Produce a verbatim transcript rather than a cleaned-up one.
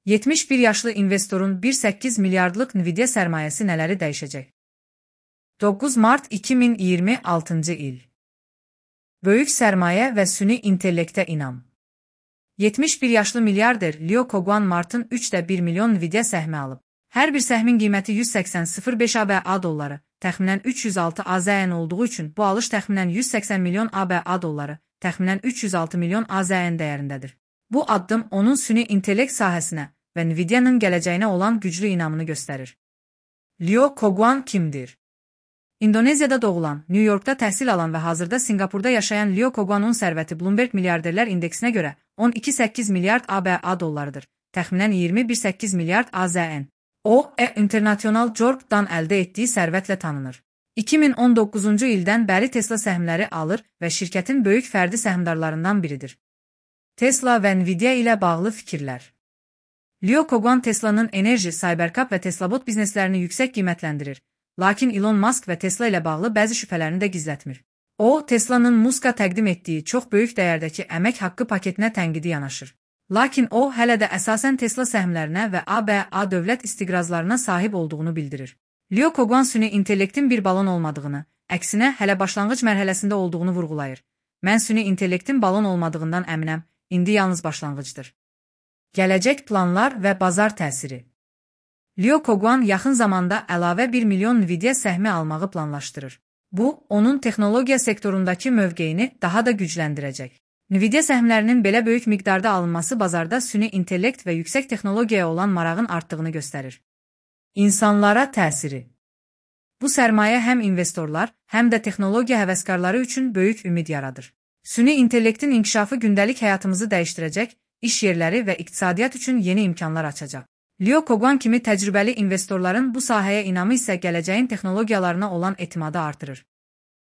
yetmiş bir yaşlı investorun bir nöqtə səkkiz milyardlıq Nvidia sərmayəsi nələri dəyişəcək? doqquz Mart iki min iyirmi altıncı il. Böyük sərmayə və süni intellektə inam. yetmiş bir yaşlı milyarder Leo Koguan Martın üçdə bir milyon Nvidia səhmi alıb. Hər bir səhmin qiyməti yüz səksən min beş ABŞ dolları, təxminən üç yüz altı AZN olduğu üçün bu alış təxminən yüz səksən milyon ABŞ dolları, təxminən üç yüz altı milyon AZN dəyərindədir. Bu addım onun süni intellekt sahəsinə və Nvidia'nın gələcəyinə olan güclü inamını göstərir. Leo Koguan kimdir? İndoneziyada doğulan, New Yorkda təhsil alan və hazırda Singapurda yaşayan Leo Koguan'un sərvəti Bloomberg Milyarderlər indeksinə görə on iki nöqtə səkkiz milyard ABŞ dollarıdır, təxminən iyirmi bir nöqtə səkkiz milyard AZN. O, E International Jordan əldə etdiyi sərvətlə tanınır. iki min on doqquzuncu ildən bəri Tesla səhmləri alır və şirkətin böyük fərdi səhmdarlarından biridir. Tesla və Nvidia ilə bağlı fikirlər. Leo Koguan Tesla'nın enerji, Cybercab və Teslabot bizneslərini yüksək qiymətləndirir, lakin Elon Musk və Tesla ilə bağlı bəzi şübhələrini də gizlətmir. O, Tesla'nın Musk'a təqdim etdiyi çox böyük dəyərdəki əmək haqqı paketinə tənqidi yanaşır. Lakin o, hələ də əsasən Tesla səhmlərinə və ABŞ dövlət istiqrazlarına sahib olduğunu bildirir. Leo Koguan süni intellektin bir balon olmadığını, əksinə hələ başlanğıc mərhələsində olduğunu vurğulayır. Mən süni intellektin balon olmadığından əminəm, indi yalnız başlanğıcdır. Gələcək planlar və bazar təsiri. Leo Koguan yaxın zamanda əlavə bir milyon Nvidia səhmi almağı planlaşdırır. Bu, onun texnologiya sektorundakı mövqeyini daha da gücləndirəcək. Nvidia səhmlərinin belə böyük miqdarda alınması bazarda süni intellekt və yüksək texnologiyaya olan marağın artdığını göstərir. İnsanlara təsiri. Bu sərmayə həm investorlar, həm də texnologiya həvəskarları üçün böyük ümid yaradır. Süni intellektin inkişafı gündəlik həyatımızı dəyişdirəcək, iş yerləri və iqtisadiyyat üçün yeni imkanlar açacaq. Leo Koguan kimi təcrübəli investorların bu sahəyə inamı isə gələcəyin texnologiyalarına olan etimadı artırır.